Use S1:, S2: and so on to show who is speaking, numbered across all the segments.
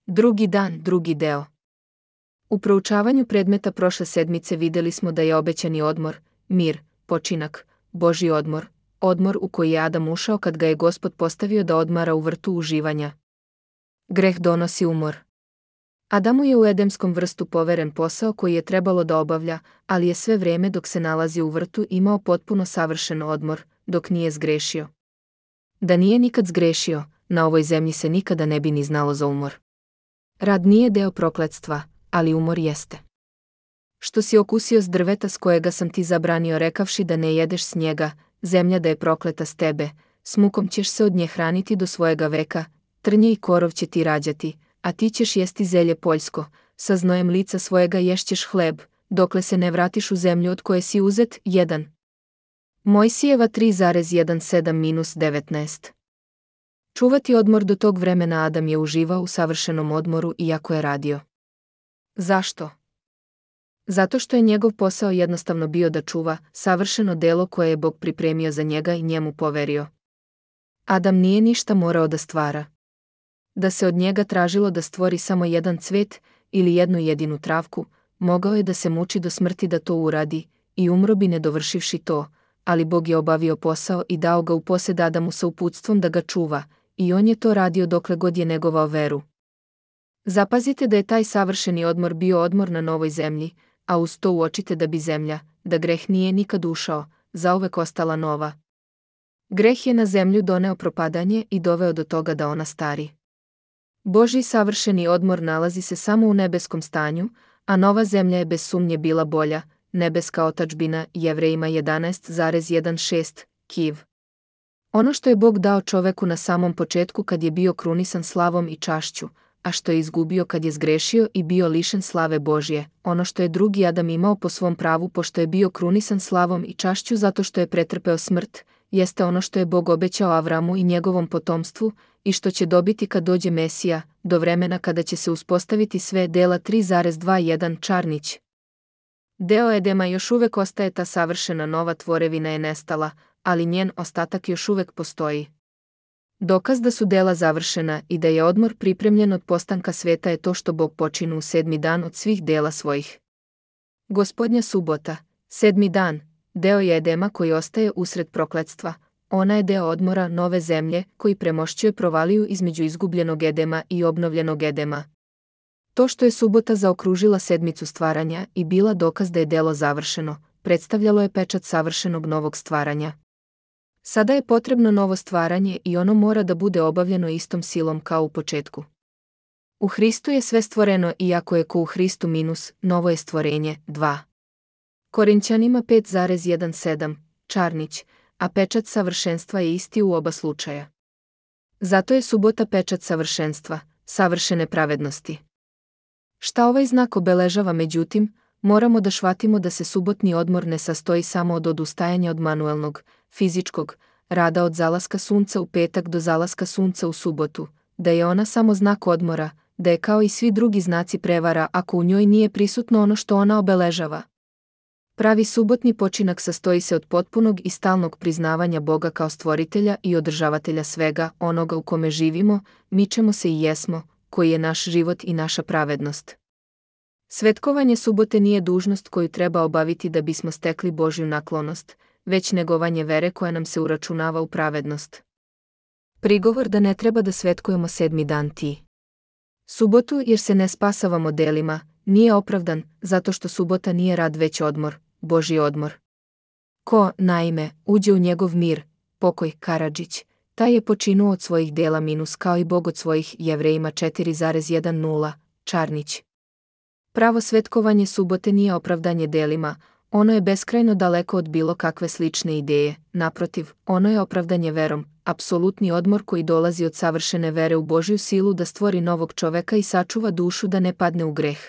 S1: Drugi dan, drugi deo. U proučavanju predmeta prošle sedmice vidjeli smo da je obećani odmor, mir, počinak, Božji odmor, odmor u koji je Adam ušao kad ga je Gospod postavio da odmara u vrtu uživanja. Greh donosi umor. Adamu je u edemskom vrstu poveren posao koji je trebalo da obavlja, ali je sve vrijeme dok se nalazi u vrtu imao potpuno savršen odmor, dok nije zgrešio. Da nije nikad zgrešio, na ovoj zemlji se nikada ne bi ni znalo za umor. Rad nije deo prokletstva, ali umor jeste. Što si okusio s drveta s kojega sam ti zabranio rekavši da ne jedeš s njega, zemlja da je prokleta s tebe, s mukom ćeš se od nje hraniti do svojega veka, trnje i korov će ti rađati, a ti ćeš jesti zelje poljsko, sa znojem lica svojega ješćeš hleb, dokle se ne vratiš u zemlju od koje si uzet. 1. Mojsijeva 3,17-19. Čuvati odmor do tog vremena Adam je uživao u savršenom odmoru iako je radio. Zašto? Zato što je njegov posao jednostavno bio da čuva savršeno delo koje je Bog pripremio za njega i njemu poverio. Adam nije ništa morao da stvara. Da se od njega tražilo da stvori samo jedan cvet ili jednu jedinu travku, mogao je da se muči do smrti da to uradi i umro bi ne dovršivši to, ali Bog je obavio posao i dao ga u posed Adamu sa uputstvom da ga čuva, i on je to radio dokle god je negovao veru. Zapazite da je taj savršeni odmor bio odmor na novoj zemlji, a uz to uočite da bi zemlja, da greh nije nikad ušao, zauvek ostala nova. Greh je na zemlju doneo propadanje i doveo do toga da ona stari. Božji savršeni odmor nalazi se samo u nebeskom stanju, a nova zemlja je bez sumnje bila bolja, nebeska otadžbina. Jevrejima 11,16, Kiv. Ono što je Bog dao čoveku na samom početku kad je bio krunisan slavom i čašću, a što je izgubio kad je zgrešio i bio lišen slave Božje, ono što je drugi Adam imao po svom pravu pošto je bio krunisan slavom i čašću zato što je pretrpeo smrt, jeste ono što je Bog obećao Avramu i njegovom potomstvu i što će dobiti kad dođe Mesija, do vremena kada će se uspostaviti sve. Dela 3,21 Čarnić. Deo Edema još uvek ostaje, ta savršena nova tvorevina je nestala, ali njen ostatak još uvek postoji. Dokaz da su dela završena i da je odmor pripremljen od postanka sveta je to što Bog počinu u 7. dan od svih dela svojih. Gospodnja subota, 7. dan, deo je Edema koji ostaje usred prokletstva, ona je deo odmora nove zemlje koji premošćuje provaliju između izgubljenog Edema i obnovljenog Edema. To što je subota zaokružila sedmicu stvaranja i bila dokaz da je delo završeno, predstavljalo je pečat savršenog novog stvaranja. Sada je potrebno novo stvaranje i ono mora da bude obavljeno istom silom kao u početku. U Hristu je sve stvoreno iako je ko u Hristu minus, novo je stvorenje. 2. Korinćanima 5,17, Čarnić, a pečat savršenstva je isti u oba slučaja. Zato je subota pečat savršenstva, savršene pravednosti. Šta ovaj znak obeležava? Međutim, moramo da shvatimo da se subotni odmor ne sastoji samo od odustajanja od manuelnog, fizičkog, rada od zalaska sunca u petak do zalaska sunca u subotu, da je ona samo znak odmora, da je kao i svi drugi znaci prevara ako u njoj nije prisutno ono što ona obeležava. Pravi subotni počinak sastoji se od potpunog i stalnog priznavanja Boga kao stvoritelja i održavatelja svega onoga u kome živimo, mičemo se i jesmo, koji je naš život i naša pravednost. Svetkovanje subote nije dužnost koju treba obaviti da bismo stekli Božju naklonost, već negovanje vere koja nam se uračunava u pravednost. Prigovor da ne treba da svetkujemo 7. dan subotu jer se ne spasavamo delima, nije opravdan, zato što subota nije rad već odmor, Božji odmor. Ko, naime, uđe u njegov mir, pokoj, Karadžić, taj je počinuo od svojih dela minus kao i Bog od svojih. Jevrejima 4,10, Čarnić. Pravo svetkovanje subote nije opravdanje delima, ono je beskrajno daleko od bilo kakve slične ideje, naprotiv, ono je opravdanje verom, apsolutni odmor koji dolazi od savršene vere u Božju silu da stvori novog čoveka i sačuva dušu da ne padne u greh.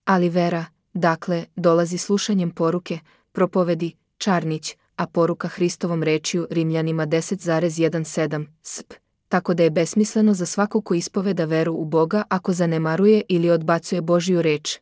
S1: Ali vera, dakle, dolazi slušanjem poruke, propovedi, Čarnić, a poruka Hristovom rečju Rimljanima 10,17, sp. Tako da je besmisleno za svakog ko ispoveda veru u Boga ako zanemaruje ili odbacuje Božju reč.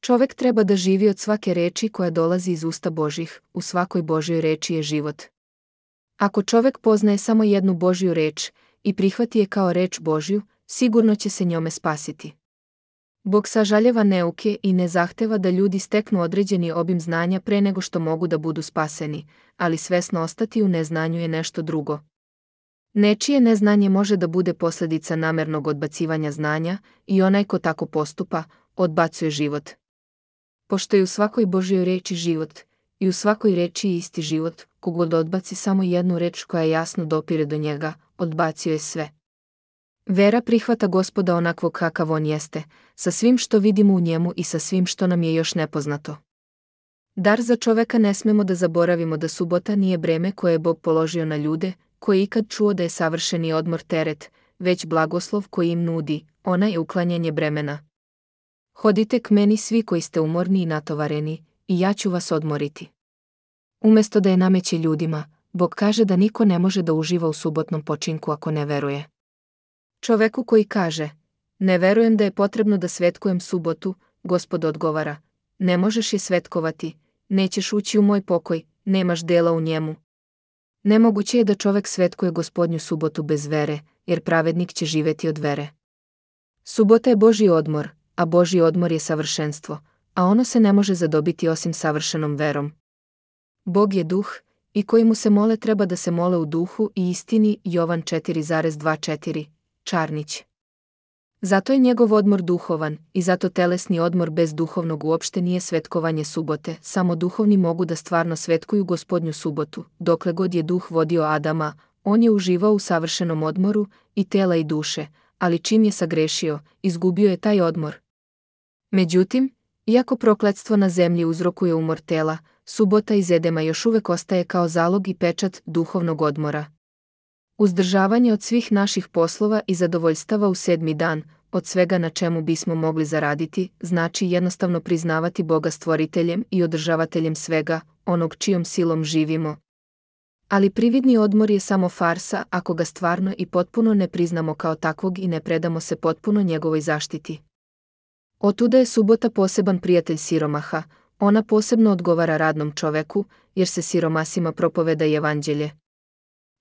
S1: Čovek treba da živi od svake reči koja dolazi iz usta Božjih, u svakoj Božjoj reči je život. Ako čovek poznaje samo jednu Božju reč i prihvati je kao reč Božju, sigurno će se njome spasiti. Bog sažaljeva neuke i ne zahteva da ljudi steknu određeni obim znanja pre nego što mogu da budu spaseni, ali svesno ostati u neznanju je nešto drugo. Nečije neznanje može da bude posljedica namernog odbacivanja znanja i onaj ko tako postupa, odbacuje život. Pošto je u svakoj Božjoj reči život, i u svakoj reči je isti život, kogod odbaci samo jednu reč koja jasno dopire do njega, odbacio je sve. Vera prihvata Gospoda onakvog kakav on jeste, sa svim što vidimo u njemu i sa svim što nam je još nepoznato. Dar za čoveka ne smemo da zaboravimo da subota nije breme koje je Bog položio na ljude, koji je ikad čuo da je savršeni odmor teret, već blagoslov koji im nudi, ona je uklanjanje bremena. Hodite k meni svi koji ste umorni i natovareni, i ja ću vas odmoriti. Umjesto da je nameće ljudima, Bog kaže da niko ne može da uživa u subotnom počinku ako ne veruje. Čoveku koji kaže, ne verujem da je potrebno da svetkujem subotu, Gospod odgovara, ne možeš je svetkovati, nećeš ući u moj pokoj, nemaš dela u njemu. Nemoguće je da čovek svetkuje Gospodnju subotu bez vere, jer pravednik će živeti od vere. Subota je Božji odmor, a Božji odmor je savršenstvo, a ono se ne može zadobiti osim savršenom verom. Bog je duh, i koji mu se mole treba da se mole u duhu i istini. Jovan 4,24, Čarnić. Zato je njegov odmor duhovan, i zato telesni odmor bez duhovnog uopšte nije svetkovanje subote, samo duhovni mogu da stvarno svetkuju Gospodnju subotu. Dokle god je duh vodio Adama, on je uživao u savršenom odmoru, i tela i duše, ali čim je sagrešio, izgubio je taj odmor. Međutim, iako prokletstvo na zemlji uzrokuje umor tela, subota iz Edema još uvek ostaje kao zalog i pečat duhovnog odmora. Uzdržavanje od svih naših poslova i zadovoljstava u 7. dan, od svega na čemu bismo mogli zaraditi, znači jednostavno priznavati Boga stvoriteljem i održavateljem svega, onog čijom silom živimo. Ali prividni odmor je samo farsa ako ga stvarno i potpuno ne priznamo kao takvog i ne predamo se potpuno njegovoj zaštiti. Otuda je subota poseban prijatelj siromaha, ona posebno odgovara radnom čoveku, jer se siromasima propoveda evanđelje.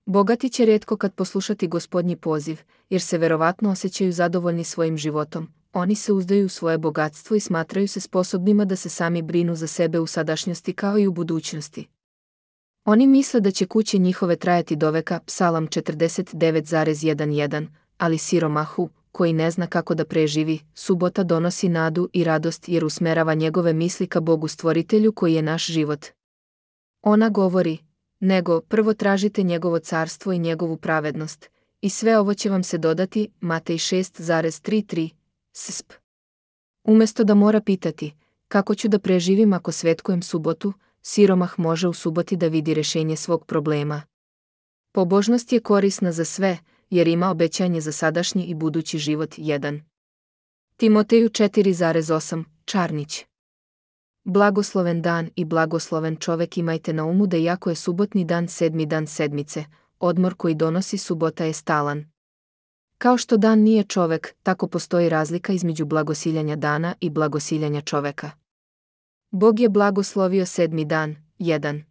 S1: Bogati će rijetko kad poslušati Gospodnji poziv, jer se verovatno osjećaju zadovoljni svojim životom, oni se uzdaju u svoje bogatstvo i smatraju se sposobnima da se sami brinu za sebe u sadašnjosti kao i u budućnosti. Oni misle da će kuće njihove trajati doveka, Psalam 49,11, ali siromahu, koji ne zna kako da preživi, subota donosi nadu i radost jer usmerava njegove misli ka Bogu stvoritelju koji je naš život. Ona govori, nego prvo tražite njegovo carstvo i njegovu pravednost, i sve ovo će vam se dodati, Matej 6,33, sp. Umjesto da mora pitati, kako ću da preživim ako svetkujem subotu, siromah može u suboti da vidi rješenje svog problema. Pobožnost je korisna za sve, jer ima obećanje za sadašnji i budući život. 1. Timoteju 4,8, Čarnić. Blagosloven dan i blagosloven čovek, imajte na umu da iako je subotni dan 7. dan sedmice, odmor koji donosi subota je stalan. Kao što dan nije čovek, tako postoji razlika između blagosiljanja dana i blagosiljanja čoveka. Bog je blagoslovio 7. dan, 1.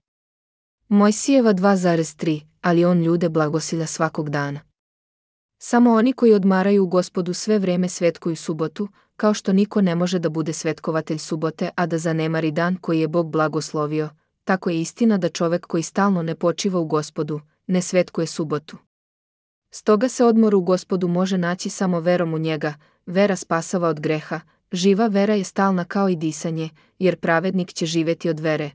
S1: Mojsijeva 2,3, ali on ljude blagosilja svakog dana. Samo oni koji odmaraju u Gospodu sve vreme svetkuju subotu, kao što niko ne može da bude svetkovatelj subote a da zanemari dan koji je Bog blagoslovio, tako je istina da čovek koji stalno ne počiva u Gospodu, ne svetkuje subotu. Stoga se odmor u Gospodu može naći samo verom u njega, vera spasava od greha, živa vera je stalna kao i disanje, jer pravednik će živeti od vere.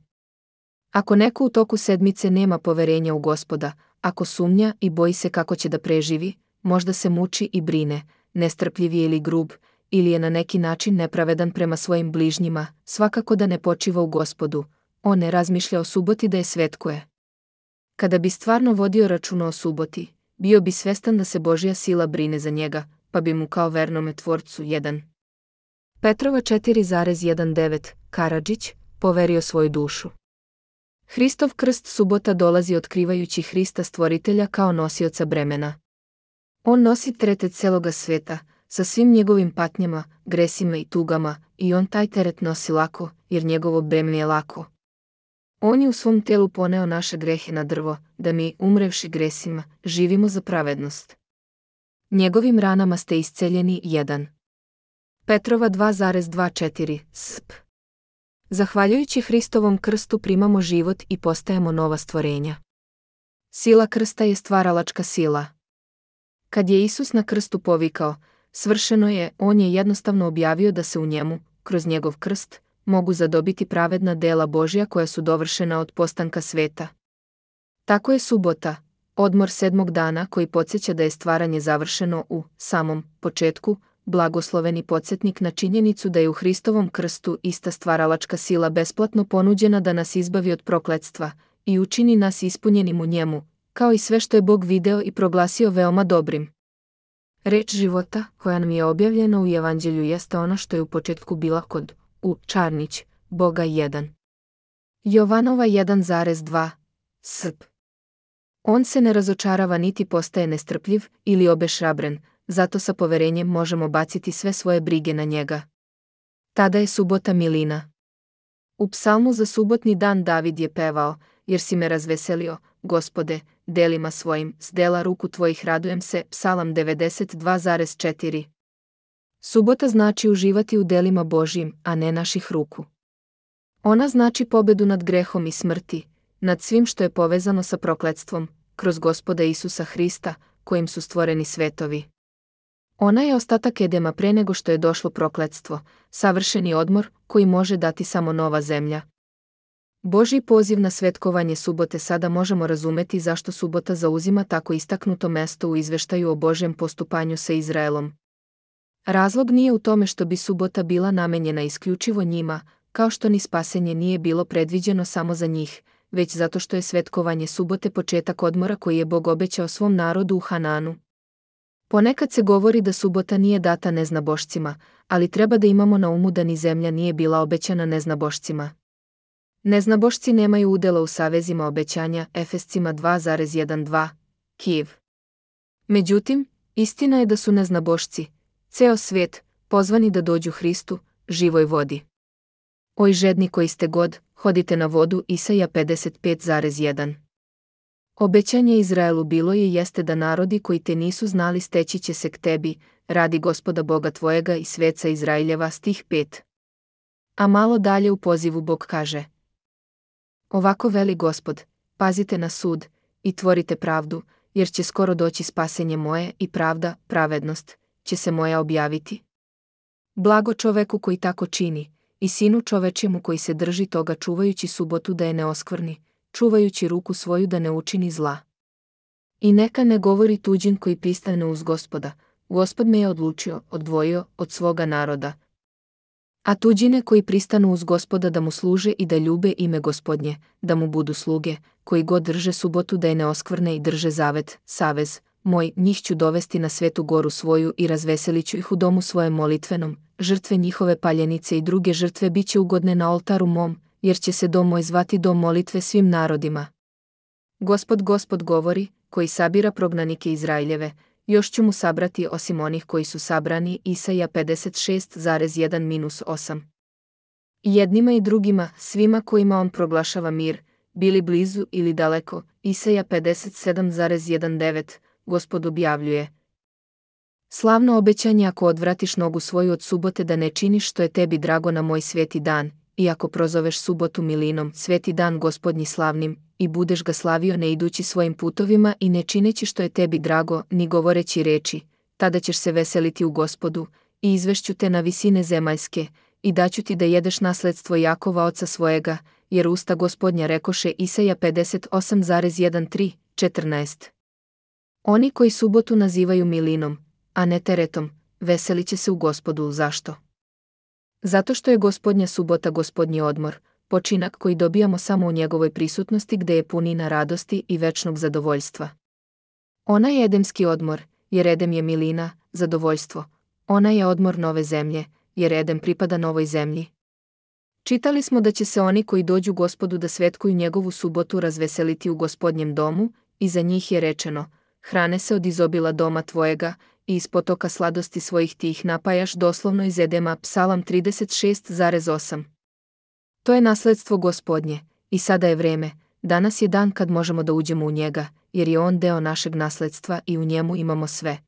S1: Ako neko u toku sedmice nema poverenja u Gospoda, ako sumnja i boji se kako će da preživi, možda se muči i brine, nestrpljiv je ili grub, ili je na neki način nepravedan prema svojim bližnjima, svakako da ne počiva u Gospodu, on ne razmišlja o suboti da je svetkuje. Kada bi stvarno vodio računa o suboti, bio bi svestan da se Božja sila brine za njega, pa bi mu kao vernome tvorcu 1. Petrova 4,19, Karadžić, poverio svoju dušu. Hristov krst subota dolazi otkrivajući Hrista stvoritelja kao nosioca bremena. On nosi teret celoga sveta, sa svim njegovim patnjama, gresima i tugama, i on taj teret nosi lako, jer njegovo breme je lako. On je u svom telu poneo naše grehe na drvo, da mi, umrevši gresima, živimo za pravednost. Njegovim ranama ste isceljeni. 1. Petrova 2,24 sp. Zahvaljujući Hristovom krstu primamo život i postajemo nova stvorenja. Sila krsta je stvaralačka sila. Kad je Isus na krstu povikao, svršeno je, on je jednostavno objavio da se u njemu, kroz njegov krst, mogu zadobiti pravedna dela Božja koja su dovršena od postanka sveta. Tako je subota, odmor 7. dana koji podsjeća da je stvaranje završeno u samom početku, blagosloveni podsjetnik na činjenicu da je u Hristovom krstu ista stvaralačka sila besplatno ponuđena da nas izbavi od prokletstva i učini nas ispunjenim u njemu, kao i sve što je Bog video i proglasio veoma dobrim. Reč života, koja nam je objavljena u Evanđelju, jeste ona što je u početku bila kod Čarnić, Boga 1. Jovanova 1,2 sp. On se ne razočarava niti postaje nestrpljiv ili obeshrabren, zato sa poverenjem možemo baciti sve svoje brige na njega. Tada je subota milina. U psalmu za subotni dan David je pevao, jer si me razveselio, Gospode, delima svojim, s dela ruku tvojih radujem se, Psalam 92,4. Subota znači uživati u delima Božjim, a ne naših ruku. Ona znači pobedu nad grehom i smrti, nad svim što je povezano sa prokletstvom, kroz Gospoda Isusa Hrista, kojim su stvoreni svetovi. Ona je ostatak Edema pre nego što je došlo prokletstvo, savršeni odmor koji može dati samo nova zemlja. Božji poziv na svetkovanje subote sada možemo razumeti zašto subota zauzima tako istaknuto mesto u izveštaju o Božjem postupanju sa Izraelom. Razlog nije u tome što bi subota bila namenjena isključivo njima, kao što ni spasenje nije bilo predviđeno samo za njih, već zato što je svetkovanje subote početak odmora koji je Bog obećao svom narodu u Hananu. Ponekad se govori da subota nije data neznabošcima, ali treba da imamo na umu da ni zemlja nije bila obećana neznabošcima. Neznabošci nemaju udela u savezima obećanja, Efescima 2,12, Kijev. Međutim, istina je da su neznabošci, ceo svijet, pozvani da dođu Hristu, živoj vodi. Oj žedni koji ste god, hodite na vodu, Isaija 55,1. Obećanje Izraelu bilo je i jeste da narodi koji te nisu znali steći će se k tebi, radi Gospoda Boga tvojega i sveca Izraeljeva, stih 5. A malo dalje u pozivu Bog kaže: Ovako veli Gospod, pazite na sud i tvorite pravdu, jer će skoro doći spasenje moje i pravda, pravednost, će se moja objaviti. Blago čoveku koji tako čini, i sinu čovečjemu koji se drži toga čuvajući subotu da je ne oskvrni, čuvajući ruku svoju da ne učini zla. I neka ne govori tuđin koji pristane uz Gospoda, Gospod me je odvojio od svoga naroda. A tuđine koji pristanu uz Gospoda da mu služe i da ljube ime Gospodnje, da mu budu sluge, koji god drže subotu da je ne oskvrne i drže zavet, savez moj, njih ću dovesti na svetu goru svoju i razveselit ću ih u domu svojem molitvenom, žrtve njihove paljenice i druge žrtve bit će ugodne na oltaru mom, jer će se dom moj zvati dom molitve svim narodima. Gospod govori, koji sabira prognanike Izraeljeve, još ću mu sabrati osim onih koji su sabrani, Isaija 56,1-8. Jednima i drugima, svima kojima on proglašava mir, bili blizu ili daleko, Isaija 57,19, Gospod objavljuje: Slavno obećanje ako odvratiš nogu svoju od subote da ne činiš što je tebi drago na moj sveti dan, i ako prozoveš subotu milinom, sveti dan Gospodnji slavnim, i budeš ga slavio ne idući svojim putovima i ne čineći što je tebi drago, ni govoreći reči, tada ćeš se veseliti u Gospodu, i izvešću te na visine zemaljske, i daću ti da jedeš nasledstvo Jakova oca svojega, jer usta Gospodnja rekoše, Isaija 58,13-14. Oni koji subotu nazivaju milinom, a ne teretom, veselit će se u Gospodu. Zašto? Zato što je Gospodnja subota Gospodnji odmor, počinak koji dobijamo samo u njegovoj prisutnosti gde je punina radosti i večnog zadovoljstva. Ona je edemski odmor, jer Edem je milina, zadovoljstvo. Ona je odmor nove zemlje, jer Edem pripada novoj zemlji. Čitali smo da će se oni koji dođu Gospodu da svetkuju njegovu subotu razveseliti u Gospodnjem domu, i za njih je rečeno: hrane se od izobila doma tvojega, i iz potoka sladosti svojih ti ih napajaš, doslovno iz Edema, Psalam 36,8. To je nasledstvo Gospodnje, i sada je vreme, danas je dan kad možemo da uđemo u njega, jer je on deo našeg nasledstva i u njemu imamo sve.